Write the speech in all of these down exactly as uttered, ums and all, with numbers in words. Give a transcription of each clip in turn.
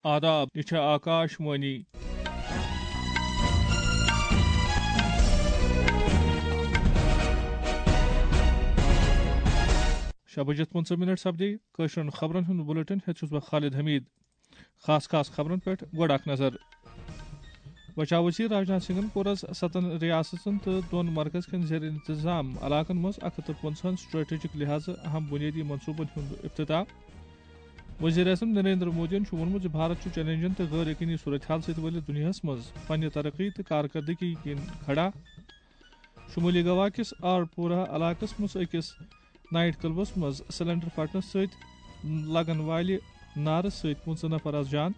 آداب، یہِ چھےٚ آکاش وانی۔ شےٚ بجے پٕنٛژٕہ منٹ سپدے۔ کٲشرٮ۪ن خبرن ہُنٛد بُلٹن ہیٚتھ چھُس بہٕ خالد حمید۔ خاص خاص خبرن پٮ۪ٹھ گۄڈٕ اکھ نظر۔ بچاو وزیر راجناتھ سنگھن کوٚر از ستن ریاستن تہٕ دۄن مرکز کٮ۪ن زیر انتظام علاقن منٛز اکھ ہتھ تہٕ پنٛژٕہن strategic لحاظہٕ اہم بنیٲدی منصوبن ہُنٛد افتتاح۔ وزیر اعظم نریندر مودیَن چھُ ووٚنمُت زِ بھارت چھُ چیلنجن تہٕ غٲر یقینی صورتحال سۭتۍ ؤلِتھ دُنیاہَس منٛز پننہِ ترقی تہٕ کارکردگی کِنۍ کھڑا۔ شمٲلی گوا کِس آرپورہ علاقَس منٛز أکِس نائٹ کلبَس منٛز سلنڈر پھٹنہٕ سۭتۍ لگن والہِ نارٕ سۭتۍ پٕنٛژٕہ نفر از جان۔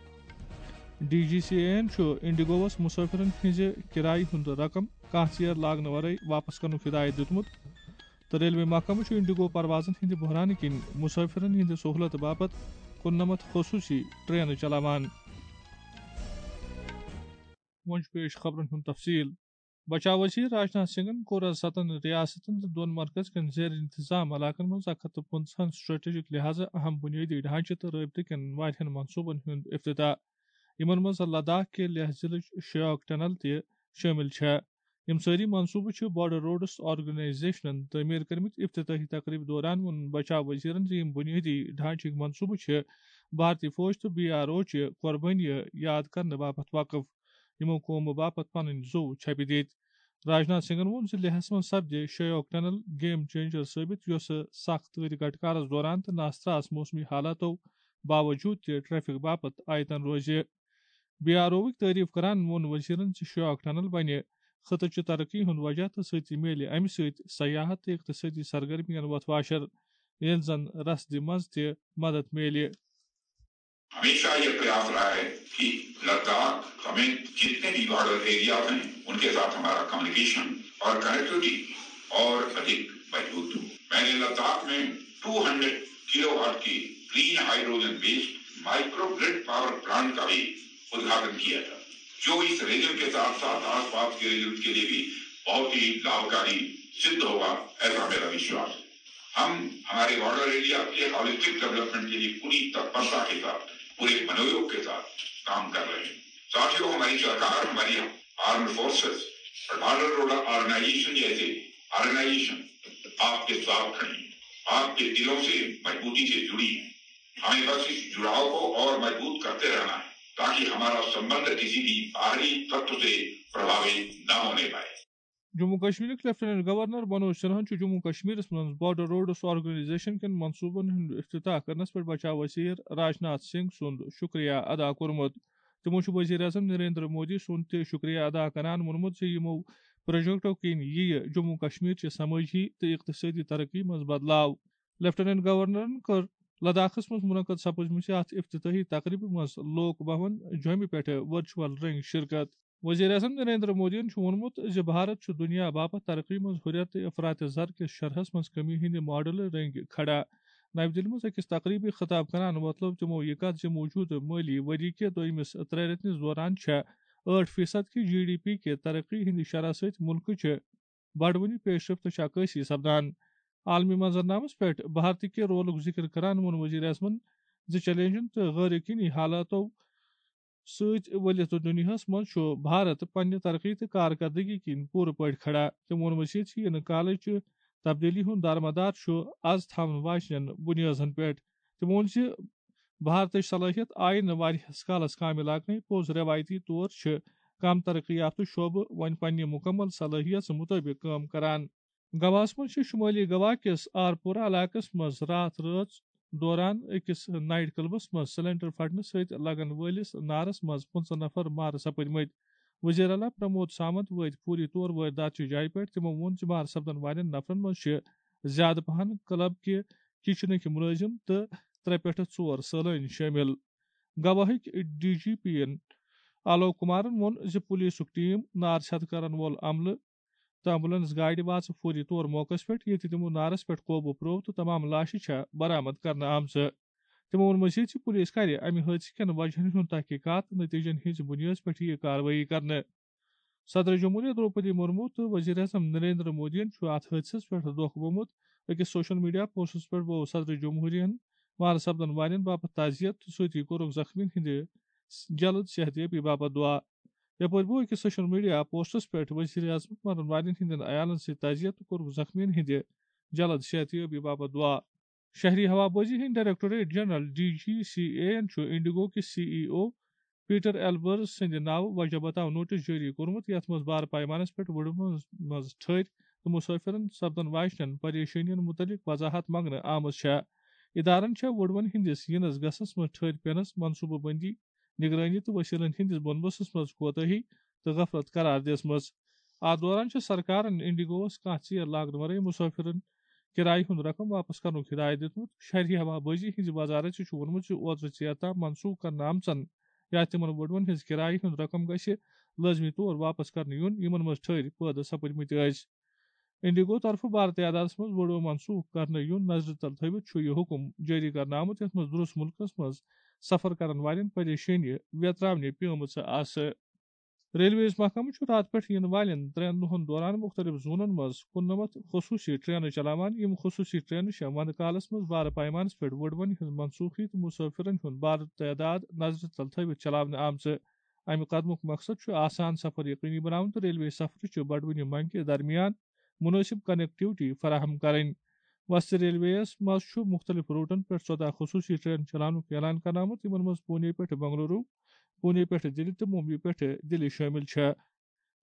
ڈی جی سی اے یَن چھُ انڈیگووَس مسافرن ہٕنٛزِ کرایہِ ہُنٛد رقم کانٛہہ ژیر لاگنہٕ ورٲے واپس کرنُک ہدایت دیُتمُت۔ تہٕ ریلوے محکمہٕ چھُ انڈیگو پروازن ہٕنٛدِ بحرانہٕ کِنۍ مسافرن ہٕنٛدِ سہولت باپتھ کُننمتھ خصوٗصی ٹرینہٕ چلاوان۔ وۄنۍ چھُ پیش خبرن ہُنٛد تفصیل۔ بچاو وزیر راجناتھ سنگھن کوٚر از ستن ریاستن تہٕ دۄن مرکز کٮ۪ن زیر انتظام علاقن منٛز اکھ ہتھ تہٕ پنٛژٕہن strategic لحاظہٕ اہم بنیٲدی ڈھانچہٕ تہٕ رٲبطہٕ کٮ۪ن واریاہن منصوبن ہُنٛد افتتاح، یِمن منٛز لداخ کہِ لیہہ ضلعٕچ شیوک ٹنل تہِ شٲمِل چھےٚ۔ یِم سٲری منصوبہٕ چھِ بارڈر روڈس آرگنائزیشنن تعمیٖر کٔرمٕتۍ۔ افتتاحی تقریبہِ دوران ووٚن بچاو وزیرن زِ یِم بُنیٲدی ڈھانچٕکۍ منصوبہٕ چھِ بھارتی فوج تہٕ بی آر او چہِ قربٲنی یاد کرنہٕ باپتھ وقف، یِمو قومہٕ باپتھ پنٕنۍ زُو چھپہِ دِتۍ۔ راجناتھ سنگھن ووٚن زِ لیہس منٛز سپدِ شیوک ٹنل گیم چینجر ثٲبت، یۄسہٕ سخت تۭرِ گٹکارس دوران تہٕ ناستراس موسمی حالاتو باوجود تہِ ٹریفک باپتھ آیتن روزِ۔ بی آر اووٕکۍ تعریف کران ووٚن وزیرن زِ شیوک ٹنل بنہِ خطہٕ چہِ ترقی ہُنٛد وجہ تہٕ سۭتی میلہِ امہِ سۭتۍ سیاحت تہٕ اقتصٲدی سرگرمین وۄتھ واشر، ییٚلہِ زن رسدِ منٛز تہِ مدد میلہِ۔ ہمیشہ یہ پریاس رہا ہے کہ لداخ سمیت جتنے بھی بارڈر ایریاز ہیں، ان کے ساتھ ہمارا کمیونیکیشن اور کنیکٹیویٹی اور ادھک مضبوط ہو۔ میں نے لداخ میں ٹو ہنڈریڈ کلو واٹ کے green hydrogen based microgrid power plant کا بھی ادگھاٹن کیا تھا، جو اس ریجن کے ساتھ ساتھ آس پاس کے ریجن کے لیے بھی بہت ہی لابھکاری سدھ ہوگا، ایسا میرا وشواس ہے۔ ہم ہمارے بارڈر ایریا کے ہالیسٹک ڈیولپمنٹ کے لیے پوری تتپرتا کے ساتھ، پورے منویوگ کے ساتھ کام کر رہے ہیں۔ ساتھیوں، ہماری سرکار، ہماری آرمڈ فورسز اور بارڈر روڈ آرگنائزیشن جیسے آرگنائزیشن آپ کے ساتھ کھڑی ہیں، آپ کے دلوں سے مضبوطی سے جڑی ہیں۔ ہمیں بس اس جڑاؤ کو اور مضبوط کرتے رہنا ہے، تاکہ ہمارا سمبند کسی بھی باہری تتو سے پربھاوت نہ ہونے پائے۔ جموں کشمیرٕکۍ لیفٹیننٹ گورنر منوج سنہاہن چھُ جموں کشمیرس منٛز بارڈر روڈس آرگنائزیشن کٮ۪ن منصوبن ہُنٛد افتتاح کرنس پٮ۪ٹھ بچاو وزیر راجناتھ سنگھ سُنٛد شُکریہ ادا کوٚرمُت۔ تِمو چھُ وزیر اعظم نریندر مودی سُنٛد تہِ شُکریہ ادا کران ووٚنمُت زِ یِمو پروجیکٹو کِنۍ یِیہِ جموں کشمیر چہِ سمٲجی تہٕ اقتصٲدی ترقی منٛز بدلاو۔ لیفٹیننٹ گورنرن کٔر لداخس منٛز منعقد سپٕزمٕژِ اتھ افتتاحی تقریبہِ منٛز لوک بھون جوٚمہِ پٮ۪ٹھٕ ورچوئل رنگہِ شرکت۔ وزیر اعظم نریندر مودیَن چھُ ووٚنمُت زِ بھارت چھُ دُنیا باپتھ ترقی منٛز ہُرٮ۪ر تہٕ افراط زر کِس شرحس منٛز کمی ہٕنٛدِ ماڈلہٕ رٔنٛگۍ کھڑا۔ نَوِ دِلہِ منٛز أکِس تقریبہِ خطاب کران وۄتلٲو تِمو یہِ کتھ زِ موٗجوٗدٕ مٲلی ؤری کہِ دوٚیمِس ترٛےٚ رٮ۪تنِس دوران چھےٚ ٲٹھ فیصد کہِ جی ڈی پی کہِ ترقی ہٕنٛدِ شرح سۭتۍ مُلکٕچہِ بڑوٕنہِ پیشرفتٕچ عکٲسی سپدان۔ عالمی منظرنامس پٮ۪ٹھ بھارتہٕ کہِ رولُک ذِکر کران ووٚن وزیر اعظمن زِ چیلنجن تہٕ غٲر یقینی حالاتو سۭتۍ ؤلِتھ دُنیاہَس منٛز چھُ بھارت پننہِ ترقی تہٕ کارکردگی کِنۍ پوٗرٕ پٲٹھۍ کھڑا۔ تٔمۍ ووٚن مٔزیٖد زِ یِنہٕ کالٕچ تبدیلی ہُنٛد دارمدار چھُ از تھاونہٕ واجنٮ۪ن بُنیٲدن پٮ۪ٹھ۔ تٔمۍ ووٚن زِ بھارتٕچ صلٲحیت آیہِ نہٕ واریاہس کالس کامہِ لاگنَے، پوٚز روایتی طور چھِ کم ترقی یافتہٕ شعبہٕ وۄنۍ پننہِ مُکمل صلٲحیت مُطٲبِق کٲم کران۔ گواہَس منٛز چھِ شُمٲلی گوا کِس آرپورہ علاقَس منٛز راتھ رٲژ دوران أکِس نائٹ کلبَس منٛز سلنڈر پھٹنہٕ سۭتۍ لگن وٲلِس نارَس منٛز پٕنٛژٕہ نفر مارٕ سپٕدمٕتۍ۔ وزیر اعلیٰ پرمود سامنت وٲتۍ فوری طور وٲرۍ داتچہِ جایہِ پٮ۪ٹھ۔ تِمو ووٚن زِ مارٕ سپدن والٮ۪ن نفرَن منٛز چھِ زیادٕ پہن کلب کہِ کچنٕکۍ مُلٲزِم تہٕ ترٛےٚ پٮ۪ٹھٕ ژور سٲلٲنۍ شٲمِل۔ گواہٕکۍ ڈی جی پی یَن آلوک کمارَن ووٚن زِ پولیسُک ٹیم، نار چھتہٕ کرن وول عملہٕ تہٕ ایمبولینس گاڑِ واژٕ فوری طور موقعس پٮ۪ٹھ، ییٚتہِ تِمو نارس پٮ۪ٹھ قوبوٗ پرٛوو تہٕ تمام لاشہِ چھےٚ برآمد کرنہٕ آمژٕ۔ تِمو ووٚن مٔزیٖد زِ پُلیٖس کرِ امہِ حٲدثہٕ کٮ۪ن وجہن ہُنٛد تحقیقات تہٕ نتیجن ہٕنٛزِ بُنیٲدس پٮ۪ٹھ یِیہِ کاروٲیی کرنہٕ۔ صدر جمہوریہ درٛوپدی مرمو تہٕ وزیر اعظم نریندر مودیَن چھُ اتھ حٲدثس پٮ۪ٹھ دۄکھ گوٚمُت۔ أکِس سوشل میڈیا پوسٹس پٮ۪ٹھ بوو صدر جمہوریہن مارٕ سپدن والٮ۪ن باپتھ تعزیت تہٕ سۭتی کوٚرُکھ زخمیَن ہٕنٛدِ جلد صحت یابی باپتھ دعا۔ یپٲرۍ بوو أکِس سوشل میڈیا پوسٹس پٮ۪ٹھ وزیر اعظم مرن والٮ۪ن ہٕنٛدٮ۪ن عیالن سۭتۍ تعزیت تہٕ کوٚرُکھ زخمیَن ہٕنٛدِ جلد صحت یابی باپتھ دعا۔ شہری ہوابازی ہٕنٛدۍ directorate general, D G C A, یَن چھُ انڈیگو کِس سی ای او پیٹر ایلبرز سٕنٛدِ ناوٕ وجہ بتاو نوٹس جٲری کوٚرمُت، یَتھ منٛز بارٕ پیمانس پٮ۪ٹھ وُڈوَن منٛز ٹھٔرۍ تہٕ مسافرن سپدن واجنٮ۪ن پریشٲنین مُتعلق وضاحت منٛگنہٕ آمٕژ چھےٚ۔ ادارن چھےٚ وُڈوَن ہٕنٛدِس یِنس گژھنس منٛز ٹھٔرۍ پینس منصوبہٕ بندی، نگرٲنی تہٕ وسیلن ہٕنٛدِس بندوبستس منٛز کوتاہی تہٕ غفلت قرار دِژمٕژ۔ اتھ دوران چھِ سرکارن انڈیگووَس کانٛہہ ژیر لاگنہٕ ورٲے مسافرن کرایہِ ہُنٛد رقم واپس کرنُک ہدایت دِیُتمُت۔ شہری ہوابازی ہٕنٛزِ وزارت چھُ ووٚنمُت زِ اوترٕ ژیر تام منسوخ کرنہٕ آمژن یا تِمن وُڈوَن ہٕنٛز کرایہِ ہُنٛد رقم گژھِ لٲزمی طور واپس کرنہٕ یُن، یِمن منٛز ٹھٔرۍ پٲدٕ سپٕدمٕتۍ ٲسۍ۔ انڈیگو طرفہٕ بارٕ تعدادس منٛز وُڈو منسوخ کرنہٕ یُن نظرِ تل تھٲوِتھ چھُ یہِ حُکم جٲری کرنہٕ آمُت، یَتھ منٛز دُرُس مُلکس منٛز سفر کرن والٮ۪ن پریشٲنی ویتراونہِ پیمٕژ آسہٕ۔ ریلویز محکمہٕ چھُ راتہٕ پٮ۪ٹھ یِنہٕ والٮ۪ن ترٛٮ۪ن دۄہَن دوران مُختٔلِف زونَن منٛز کُننَمَتھ خصوٗصی ٹرینہٕ چلاوان۔ یِم خصوٗصی ٹرینہٕ چھےٚ وَندٕ کالَس منٛز بارٕ پیمانَس پٮ۪ٹھ وُڈوَن ہٕنٛز منسوخی تہٕ مُسافِرَن ہُنٛد بارٕ تعداد نظرِ تل تھٲوِتھ چلاونہٕ آمژٕ۔ اَمہِ قدمُک مقصد چھُ آسان سفر یقینی بناوُن تہٕ ریلوے سفرٕ چہِ بڑوٕنہِ منگہِ درمیان مناسب کنیکٹیوٹی فراہم کرٕنۍ۔ وسطی ریلویَس منٛز چھُ مُختٔلِف روٹن پٮ۪ٹھ ژۄداہ خصوٗصی ٹرین چلاونُک اعلان کرنہٕ آمُت، یِمن منٛز پونے پٮ۪ٹھ بنگلورو، پونے پٮ۪ٹھ دِلہِ تہٕ ممبئی پٮ۪ٹھ دِلہِ شٲمِل چھےٚ۔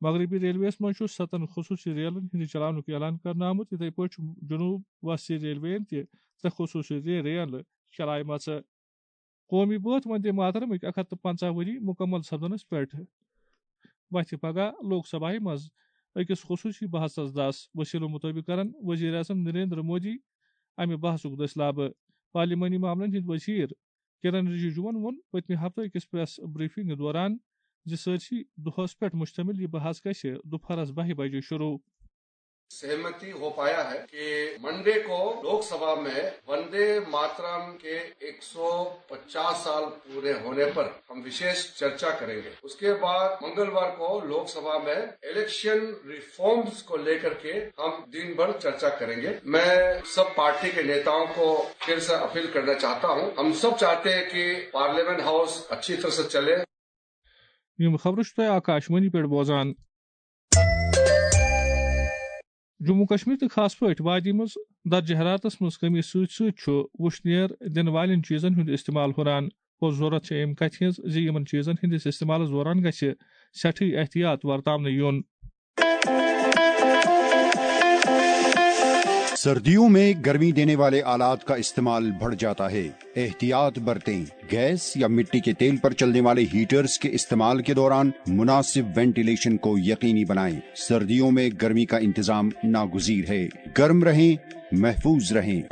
مغربی ریلویَس منٛز چھُ ستن خصوٗصی ریلن ہٕنٛدِ چلاونُک اعلان کرنہٕ آمُت۔ یِتھے پٲٹھۍ چھُ جنوب وسطی ریلویَن تہِ ترٛےٚ خصوٗصی رے-، ریلہٕ چلایمژٕ۔ قومی بٲتھ وندے ماترمٕکۍ اکھ ہتھ تہٕ پنٛژاہ ؤری مُکمل سپدنس پٮ۪ٹھ وتھِ پگاہ لوک سبھایہ منٛز أکِس خصوٗصی بحثس دس۔ وسیلو مُطٲبِق کرن وزیر اعظم نریندر مودی امہِ بحثُک دٔسۍ لابہٕ۔ پارلیمانی معاملن ہٕنٛدۍ وزیر کِرن رِجیجوَن ووٚن پٔتمہِ ہفتہٕ أکِس پریس بریفنگ دوران زِ سٲرسٕے دۄہَس پٮ۪ٹھ مُشتمِل یہِ بحث گژھِ دُپہرَس بَہہِ بجے شروٗع۔ सहमति हो पाया है कि मंडे को लोकसभा में वंदे मातरम के एक सौ पचास साल पूरे होने पर हम विशेष चर्चा करेंगे। उसके बाद मंगलवार को लोकसभा में इलेक्शन रिफॉर्म्स को लेकर के हम दिन भर चर्चा करेंगे। मैं सब पार्टी के नेताओं को फिर से अपील करना चाहता हूं, हम सब चाहते हैं कि पार्लियामेंट हाउस अच्छी तरह से चले। یِم خبرٕ چھِو تُہۍ آکاشوانی پٮ۪ٹھ بوزان۔ جموں کشمیر تہٕ خاص پٲٹھۍ وادی منٛز درجہ حرارتس منٛز کمی سۭتۍ سۭتۍ چھُ وُشنیر دِنہٕ والٮ۪ن چیٖزن ہُنٛد استعمال ہُران۔ پوٚز ضروٗرت چھےٚ اَمہِ کتھِ ہٕنٛز زِ یِمن چیٖزن ہٕنٛدِس استعمالس دوران گژھِ سٮ۪ٹھٕے احتیاط ورتاونہٕ یُن۔ सर्दियों में गर्मी देने वाले आलात का इस्तेमाल बढ़ जाता है। एहतियात बरतें। गैस या मिट्टी के तेल पर चलने वाले हीटर्स के इस्तेमाल के दौरान मुनासिब वेंटिलेशन को यकीनी बनाएं। सर्दियों में गर्मी का इंतजाम नागुजीर है। गर्म रहें, महफूज रहें।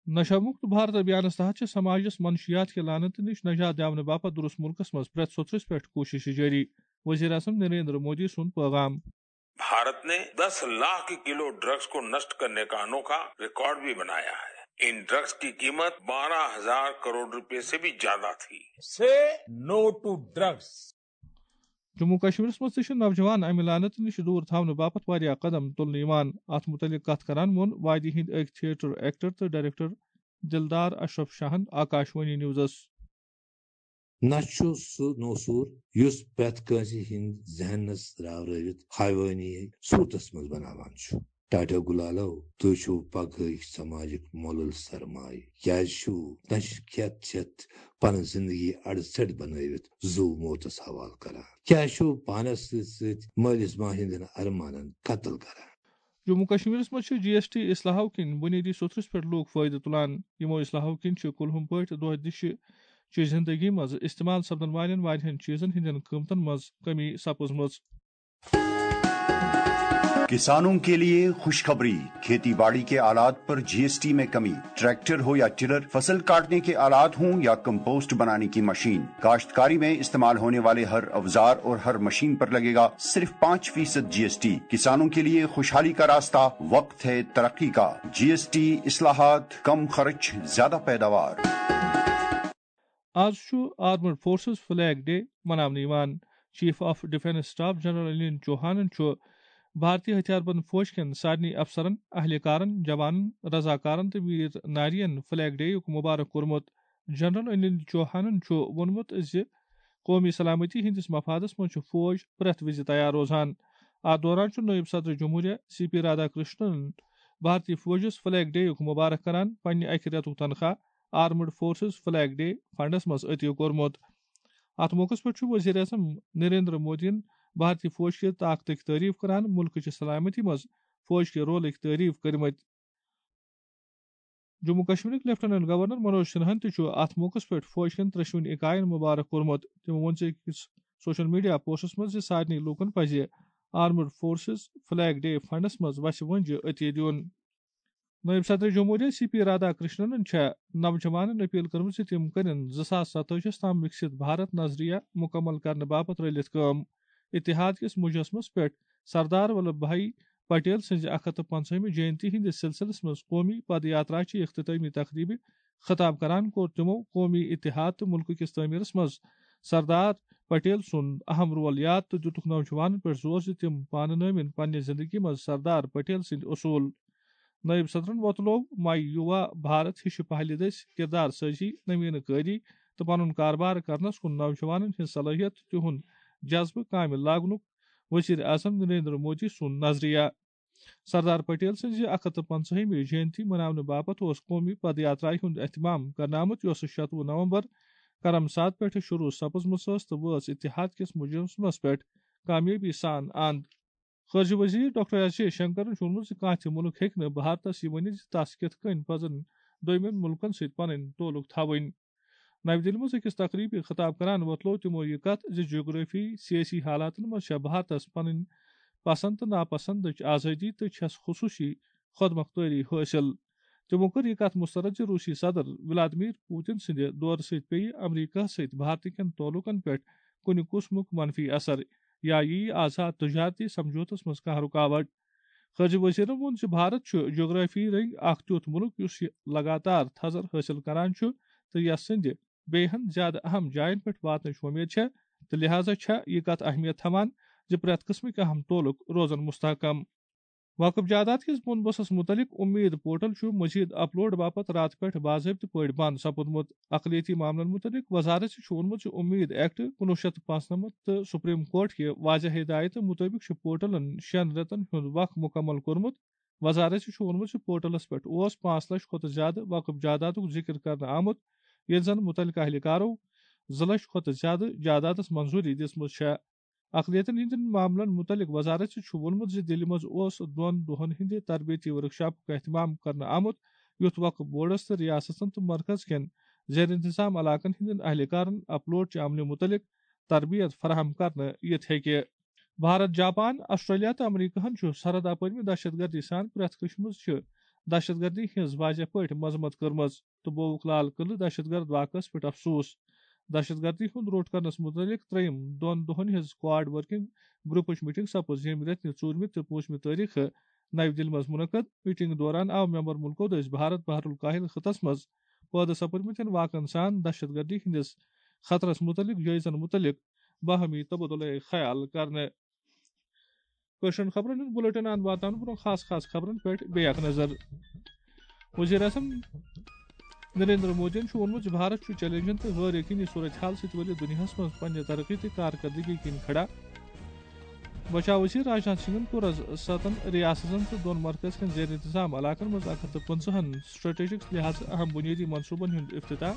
نشہ مکت بھارت ابھیانس تحت چھِ سماجس منشیات کہِ لعنتہٕ نِش نجات دِیاونہٕ باپتھ درست مُلکس منٛز پرٛٮ۪تھ سوٚتھرِس پٮ۪ٹھ کوٗششہٕ جٲری۔ وزیر اعظم نریندر مودی سُنٛد پیغام۔ भारत ने दस लाख किलो ड्रग्स को नष्ट करने का अनोखा रिकॉर्ड भी बनाया है। इन ड्रग्स की कीमत बारह हजार करोड़ रुपए से भी ज्यादा थी। Say no to drugs. Jammu کشمیرس منٛز تہِ چھِ نوجوان امہِ لعنتہٕ نِش دوٗر تھاونہٕ باپتھ واریاہ قدم تُلنہٕ یِوان۔ اتھ مُتعلق کتھ کران ووٚن وادی ہٕنٛدۍ أکۍ تھیٹر ایکٹر تہٕ ڈائریکٹر دلدار اشرف شاہن آکاشوانی نیوزس۔ نہ چھُ سُہ نوسوٗر یُس پرٛٮ۪تھ کٲنٛسہِ ہٕنٛدۍ ذہنس راورٲوِتھ حیوٲنی صوٗرتس منٛز بناوان چھُ۔ ٹاٹا گُلالو، تُہۍ چھِو پگہٕکۍ سماجٕکۍ مۄلُل سرمایہِ۔ کیٛازِ چھِو نشہِ کھٮ۪تھ چٮ۪تھ پنٕنۍ زندگی اڑٕ ژٔٹۍ بنٲوِتھ زُو موتس حوالہٕ کران؟ کیٛازِ چھِو پانس سۭتۍ سۭتۍ مٲلِس ماجہِ ہٕنٛدٮ۪ن ارمانن قتل کران؟ جموں کشمیرس منٛز چھِ جی ایس ٹی اصلاحو کِنۍ بُنیٲدی سوٚتھرِس پٮ۪ٹھ لوٗکھ فٲیدٕ تُلان۔ یِمو اصلاحو کِنۍ چھِ کُلہُم پٲٹھۍ دۄہ دِشہِ چہِ زندگی منٛز استعمال سپدن والٮ۪ن واریاہن چیٖزن ہٕنٛدٮ۪ن قۭمتن منٛز کمی سپٕزمٕژ۔ किसानों के लिए खुशखबरी। खेती बाड़ी के आलात पर जीएसटी में कमी। ट्रैक्टर हो या टिलर, फसल काटने के आलात हों या कंपोस्ट बनाने की मशीन, काश्तकारी में इस्तेमाल होने वाले हर औजार और हर मशीन पर लगेगा सिर्फ पाँच फीसद जीएसटी। किसानों के लिए खुशहाली का रास्ता, वक्त है तरक्की का। जीएसटी इस्लाहात, कम खर्च, ज्यादा पैदावार। آز چھُ آرمڈ فورسز فلیگ ڈے مناونہٕ یِوان۔ Chief of defence staff general Anil چوہانن چھُ بھارتی ہتھیار بند فوج کٮ۪ن سارنٕے افسرن، اہلکارن، جوانن، رضاکارن تہٕ ویر نارین فلیگ ڈے یُک مبارک کوٚرمُت۔ جنرل انل چوہانن چھُ ووٚنمُت زِ قومی سلامتی ہٕنٛدِس مفادس منٛز چھُ فوج پرٛٮ۪تھ وِزِ تیار روزان۔ اتھ دوران چھُ نٲیِب صدر جمہوریہ سی پی رادھا کرشنن بھارتی فوجس فلیگ ڈے یُک مبارک کران پننہِ اکہِ رٮ۪تُک تنخواہ armed forces flag day funds منٛز عطیہ کوٚرمُت۔ اتھ موقعس پٮ۪ٹھ چھُ وزیر اعظم نریندر مودیَن بھارتی فوج کہِ طاقتٕچ تعریف کران مُلکٕچہِ سلامتی منٛز فوج کہِ رولٕچ تعریف کٔرمٕژ۔ جموں کشمیرٕکۍ لیفٹیننٹ گورنر منوج سنہاہن تہِ چھُ اتھ موقعس پٮ۪ٹھ فوج کٮ۪ن ترٛٮ۪شوٕنی اکاین مبارک کوٚرمُت۔ تٔمۍ ووٚن زِ أکِس سوشل میڈیا پوسٹس منٛز زِ سارنٕے لوٗکن پزِ armed forces flag day funds منٛز وژھِ وۄنجہِ عطیہ دیُن۔ نٲیِب صدر جمہوریہ سی پی رادھا کرشنن چھےٚ نوجوانن اپیل کٔرمٕژ زِ تِم کٔرِن زٕ ساس ستٲجی ہَس تام وِکسِت بھارت نظریہ مُکمل کرنہٕ باپتھ رٔلِتھ کٲم۔ اتحاد کِس مجسمس پٮ۪ٹھ سردار ولبھ بھائی پٹیل سٕنٛزِ اَکھ ہَتھ تہٕ پنٛژاہمہِ جینتی ہٕنٛدِس سلسلس منٛز قومی پد یاترا چہِ اختتٲمی تقریبہِ خطاب کران کوٚر تِمو قومی اتحاد تہٕ مُلکہٕ کِس تعمیرس منٛز سردار پٹیل سُنٛد اہم رول یاد تہٕ دِتُکھ نوجوانن پٮ۪ٹھ زور زِ تِم پانہٕ نٲوِن پننہِ زندگی منٛز سردار پٹیل سٕنٛدۍ اصوٗل۔ نٲیِب صدرن وۄتلوو ماے یووا بھارت ہِشہِ پہلہِ دٔسۍ کردار سٲزی، نویٖنہٕ کٲری تہٕ پنُن کاربار کرنس کُن نوجوانن ہٕنٛز صلٲحیت تہٕ تِہُنٛد جذبہٕ کامہِ لاگنُک وزیر اعظم نریندر مودی سُنٛد نظریہ۔ سردار پٹیل سٕنٛزِ اَکھ ہَتھ تہٕ پنٛژاہمہِ جینتی مناونہٕ باپتھ اوس قومی پد یاترایہِ ہُنٛد اہتمام کرنہٕ آمُت، یۄسہٕ شَتوُہ نومبر کرم ساتھ پٮ۪ٹھٕ شروع سپٕزمٕژ ٲس تہٕ وٲژ اتحاد کِس مجسمس پٮ۪ٹھ کامیٲبی سان اند۔ خارجہ وزیر ڈاکٹر ایس جے شنکرن چھُ ووٚنمُت زِ کانٛہہ تہِ مُلک ہیٚکہِ نہٕ بھارتس یہِ ؤنِتھ زِ تس کِتھ کٔنۍ پزن دوٚیمٮ۪ن مُلکن سۭتۍ پنٕنۍ تعلق تھاوٕنۍ۔ نَوِ دِلہِ منٛز أکِس تقریٖبہِ خطاب کران وۄتلوو تِمو یہِ کتھ زِ جغرافی، سیٲسی حالاتن منٛز چھےٚ بھارتس پنٕنۍ پسند تہٕ ناپسندٕچ آزٲدی تہٕ چھس خصوٗصی خۄد مۄختٲری حٲصِل۔ تِمو کٔر یہِ کتھ مسترد زِ روٗسی صدر ولادمیر پوتن سٕنٛدِ دورٕ سۭتۍ پیٚیہِ امریکہ سۭتۍ بھارتہٕ کٮ۪ن تعلقن پٮ۪ٹھ کُنہِ قٕسمُک منفی اثر، یا یِیہِ آزاد تجارتی سمجھوتس منٛز کانٛہہ رُکاوٹ۔ خارجہ وزیرن ووٚن زِ بھارت چھُ جغرافی رٔنگۍ اکھ تیُتھ مُلک یُس یہِ لگاتار تھزر حٲصِل کران چھُ تہٕ یس سٕنٛدِ بیٚیہِ ہن زیادٕ اہم جاین پٮ۪ٹھ واتنٕچ وۄمید چھےٚ، تہٕ لہذا چھےٚ یہِ کتھ اہمیت تھاوان زِ پرٛٮ۪تھ قٕسمٕکۍ اہم تعلق روزن مستحکم۔ وقف جائیداد کِس بُن بَسَس مُتعلِق اُمید پورٹل چھُ مزید اپلوڈ باپتھ راتہٕ پٮ۪ٹھ باضٲبطہٕ پٲٹھۍ بند سپُدمُت۔ اقلیتی معاملن مُتعلِق وزارت چھُ ووٚنمُت زِ اُمید ایکٹ کُنوُہ شیٚتھ تہٕ پانٛژنَمتھ تہٕ سپریم کورٹ کہِ واضح ہدایتہٕ مُطٲبِق چھُ پورٹلن شٮ۪ن رٮ۪تن ہُنٛد وق مُکمل کوٚرمُت۔ وزارت چھُ ووٚنمُت زِ پورٹلس پٮ۪ٹھ اوس پانٛژھ لچھ کھۄتہٕ زیادٕ وقف جائیدادُک ذِکر کرنہٕ آمُت، ییٚلہِ زن مُتعلقہٕ اہلکارو زٕ لچھ کھۄتہٕ زیادٕ جائیدادس منظوٗری دِژمٕژ چھےٚ۔ اقلیتن ہٕنٛدٮ۪ن معاملن مُتعلِق وزارت چھُ ووٚنمُت زِ دِلہِ منٛز اوس دۄن دۄہن ہٕنٛدِ تربیتی ورکشاپُک اہتمام کرنہٕ آمُت، یُتھ وقف بورڈس تہٕ ریاستن تہٕ مرکز کٮ۪ن زیر انتظام علاقن ہٕنٛدٮ۪ن اہلکارن اپلوڈ چہِ عملہِ مُتعلِق تربیت فراہم کرنہٕ یِتھ ہیٚکہِ۔ بھارت، جاپان، آسٹریلیا تہٕ امریکہن چھُ سرحد اپٲرۍ دہشت گردی سان پرٛٮ۪تھ قٕسمٕچ دہشت گردی ہٕنٛز واضح پٲٹھۍ مذمت کٔرمٕژ تہٕ بووُکھ لال قلعہٕ دہشت گرد واقعس پٮ۪ٹھ افسوس۔ دہشت گردی ہُنٛد روٚٹ کرنس مُتعلِق ترٛیٚیِم دۄن دۄہن ہٕنٛز کوآرڈ ورکنگ گروپٕچ میٹنگ سپٕز ییٚمہِ رٮ۪تہٕ نہِ ژوٗرمہِ تہٕ پوٗنٛژمہِ تٲریخہٕ نَوِ دِلہِ منٛز مُنعقد۔ میٹنگ دوران آو ممبر مُلکو دٔسۍ بھارت بحر الکاہل خطس منٛز پٲدٕ سپٕدمٕتٮ۪ن واقعن سان دہشت گردی ہٕنٛدِس خطرس مُتعلِق جٲیزن مُتعلِق باہمی تبادلہ خیال کرنہٕ۔ کٲشرٮ۪ن خبرن ہُنٛد بُلٹن اند واتناونہٕ برٛونٛہہ خاص خاص خبرن پٮ۪ٹھ بیٚیہِ اکھ نظر۔ وزیر اعظم نریندر مودیَن چھُ ووٚنمُت زِ بھارت چھُ چیلنجن تہٕ غٲر یقینی صورتحال سۭتۍ ؤلِتھ دُنیاہَس منٛز پننہِ ترقی تہٕ کارکردگی کِنۍ کھڑا۔ بچاو وزیر راجناتھ سنگھن کوٚر آز ستن ریاستن تہٕ دۄن مرکز کٮ۪ن زیر انتظام علاقن منٛز اکھ ہتھ تہٕ پٕنٛژٕہن سٹریٹجک لحاظہٕ اہم بنیٲدی منصوبن ہُنٛد افتتاح۔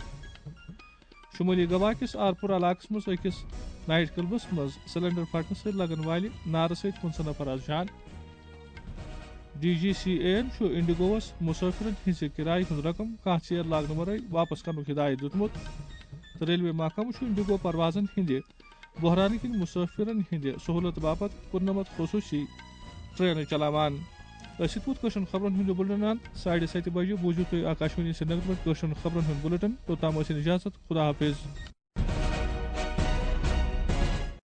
شمٲلی گوا کِس آرپور علاقس منٛز أکِس نائٹ کلبس منٛز سلنڈر پھٹنہٕ سۭتۍ لگن والہِ نارٕ سۭتۍ پٕنٛژٕہ نفر آز جان۔ ڈی جی سی اے یَن چھُ انڈیگووَس مسافرن ہٕنٛزِ کرایہِ ہُنٛد رقم کانٛہہ ژیر لاگنہٕ ورٲے واپس کرنُک ہدایت دِیُتمُت تہٕ ریلوے محکمہٕ چھُ انڈیگو پروازن ہٕنٛدِ بحرانہٕ کِنۍ مسافرن ہٕنٛدِ سہولت باپتھ کُننَمتھ خصوٗصی ٹرینہٕ چلاوان۔ أسۍ چھِ تُہُنٛد کٲشرٮ۪ن خبرن ہُنٛد یہِ بُلٹن اند۔ ساڑِ ستہِ بجہِ بوٗزِو تُہۍ آکاشوانی سرینگر پٮ۪ٹھ کٲشرٮ۪ن خبرن ہُنٛد بُلٹن۔ توٚتام ٲسِن اجازت۔ خدا حافظ۔